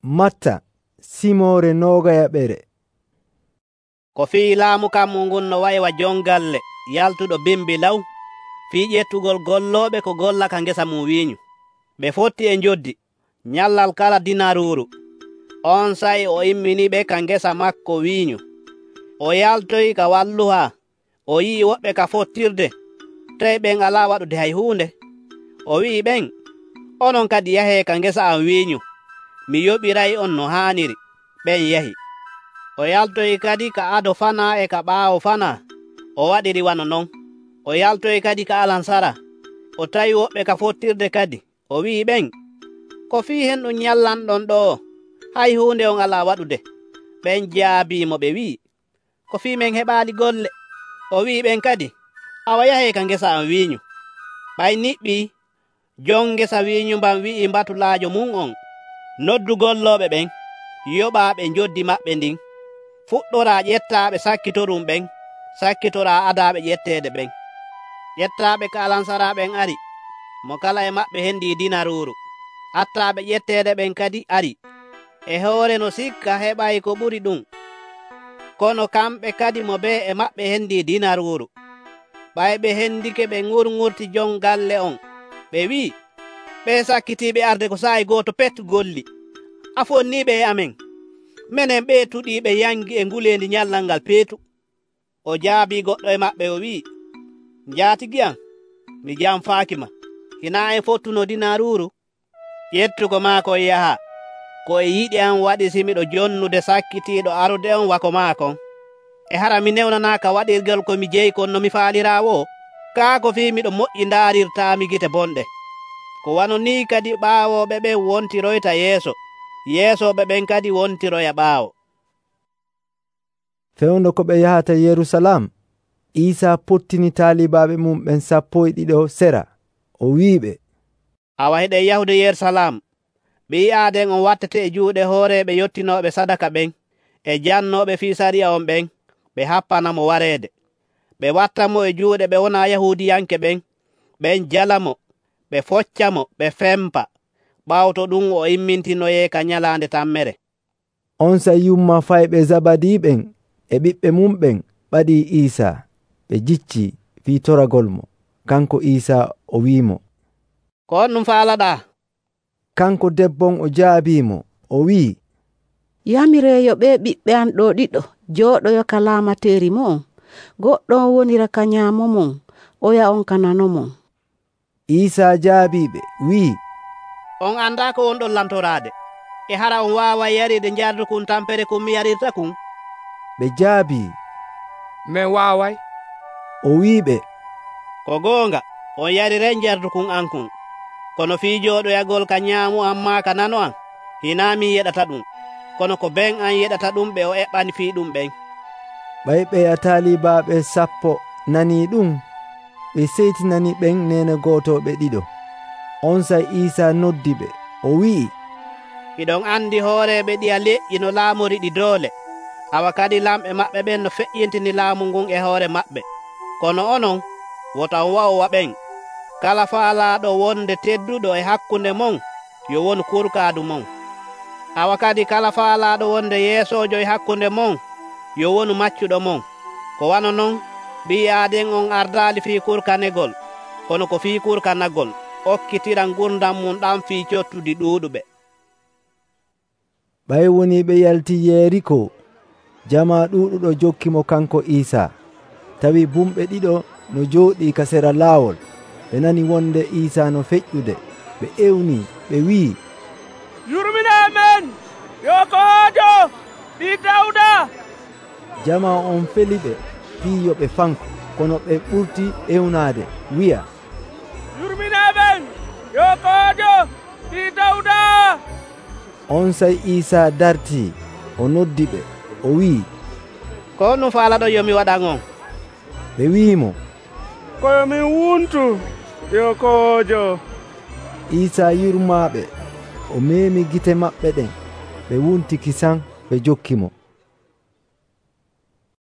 Matta Simoore noogayaɓere. Ko fii laamu kammu ngun no waywa jongalle yaltuɗo bimbi law fii ƴettugol gollooɓe ko golla ka ngesa mum wiinyu. Ɓe fotti e njoddi nyallal kala dinaruuru. On sa'i o imminiɓe ka ngesa maako wiinyu. O yaltoyi ka walluhaa. O yi'i woɓɓe ka fottirde, tawi ɓen alaa waɗude hay huunde. O wi'i ɓen, “Onon kadi yahee ka ngesa am wiinyu. Mi yoɓiray'on no haaniri.” Ɓen yahi. O yaltoyi kadi ka ado fanaa e ka ɓaawo fanaa. O waɗiri wano non. O yaltoyi kadi ka alansara. O tawi woɓɓe ka fottirde kadi. O wi'i ɓen, “Ko fii henɗum nyallanɗon ɗo'o? Hay huunde on alaa waɗude.” Ɓen jaabiimo ɓe wi'i, “Ko fii men heɓaali golle.” O wi'i ɓen kadi, “Awa yahee ka ngesa am wiinyu.” Ɓay niɓɓii, jon ngesa wiinyu mban wi'i batulaajo mum on, “Noddu gollooɓe ɓen, yoɓaa ɓe njoddi maɓɓe ndin. Fuɗɗoraa ƴettaaɓe sakkitorum ɓen, sakkitoraa adaaɓe ƴetteede ɓen.” Ƴettaaɓe ka alansara ɓen ari, mo kala e maɓɓe hendii dinaruuru. Attaaɓe ƴetteede ɓen kadi ari, e hoore no sikka heɓay ko ɓuri ɗum. Kono kamɓe kadi mo bee e maɓɓe hendii dinaruuru. Ɓay ɓe hendike ɓe ŋurŋurti jon galle on. Ɓe wi'i, “Ɓee sakkitiiɓe arde ko saa'i gooto pet golli. A fonniiɓe e amen. Menen ɓee tuɗiiɓe yangi e nguleendi nyallal ngal peetu.” O jaabii goɗɗo e maɓɓe o wi'i, “Njaatigii am, mi janfaaki ma. Hinaa en fottuno dinaruuru?” Ƴettugo maako yaha. Ko e yiɗi am waɗi simiɗo jonnude sakkitiiɗo arde on wako maakon. E hara mi newnanaaka waɗirgel ko mi jeyi kon no mi faaliraawo? Kaa ko fii miɗo moƴƴi ndaarirtaami gite bonɗe.” Ko wano nii kadi ɓaawooɓe ɓen wontiroyta yeeso, yeesooɓe ɓen kadi wontiroya ɓaawo. Fewndo ko ɓe yahata Yerusalam, Iisaa pottini taalibaaɓe mum ɓen 12 sera. O wi'iɓe, “Awa heɗen yahude Yerusalam. Ɓii aaden on wattete e juuɗe hooreeɓe yottinooɓe sadaka ɓen e jannooɓe fii sariya on ɓen, ɓe happanamo wareede. Ɓe wattamo e juuɗe ɓe wonaa Yahuudiyanke ɓen, ɓen jalamo, ɓe foccamo, ɓe fempa. Ɓaawo to ɗum o immintinoyee ka nyalaande tammere.” On sa'y yumma fayɓe Zabadi ɓen e ɓiɓɓe mum ɓen ɓadii Iisaa. Ɓe jicci fii toragol mo. Kanko Iisaa o wi'imo, “Ko on ɗum faalaɗaa?” Kanko debbon o jaabiimo, o wi'i, “Yamireeyo ɓee ɓiɓɓe am ɗo ɗiɗo jooɗoyo ka laamateeri mon. Goɗɗo on wonira ka nyaamo mon, oya on ka nano mon.” Iisaa jaabiiɓe wi'i, “On andaa ko wonɗon lantoraade. E hara on waaway yariide njardukun tampere kun mi yarirta kun?” Ɓe jaabii, “Min waaway.” O wi'iɓe, “Ko goonga, on yariray njardukun an kun. Kono fii jooɗoyagol ka nyaamu am maa ka nano am, hinaa min yeɗata ɗum. Kono ko ɓen an yeɗata ɗum ɓe o eɓɓani fii ɗum ɓen.” Ɓay ɓe taalibaaɓe 10 nanii ɗum, ɓe seytinani ɓen neene gooto ɓe ɗiɗo. On sa'y Iisaa noddi ɓe, o wi'i, “Iɗon andi hooreeɓe ɗiya leƴƴi no laamori ɗi doole. Awa kadi lamɓe maɓɓe ɓen no feƴƴintini laamu ngun e hoore maɓɓe. Kono onon, woto on wa'owa ɓen. Kala faalaaɗo wonde tedduɗo e hakkunde mon, yo wonu kurkaadu mon. Awa kadi kala faalaaɗo wonde yeesoojo e hakkunde mon, yo wonu maccuɗo mon. Ko wano non, ɓii aaden on ardaali fii kurkanegol, kono ko fii kurkanagol, okkitira ngurdam mum ɗam fii cottudi ɗuuɗuɓe.” Ɓay woni ɓe yalti Yeriko. Jama ɗuuɗuɗo jokkimo kanko Iisaa. Tawi bumɓe ɗiɗo no jooɗii ka sera laawol. Ɓe nani wonde Iisaa no feƴƴude. Ɓe ewnii, ɓe wi'i, “Yurminaamen, yo Ko'ojo ɓii Dawda!” Jama on feliɓe fii yo ɓe fanko, kono ɓe ɓurti ewnaade wi'a, “Yurminaamen, yo Ko'ojo ɓii Dawda!” On sa'y Iisaa dartii, o noddi ɓe, o wi'i, “Ko ɗum faalaɗo yo mi waɗan on?” Ɓe wi'imo, “Koyo min wuntu, yo Ko'ojo.” Iisaa yurmaaɓe, o meemi gite maɓɓe ɗen, ɓe wunti kisan, ɓe jokkimo.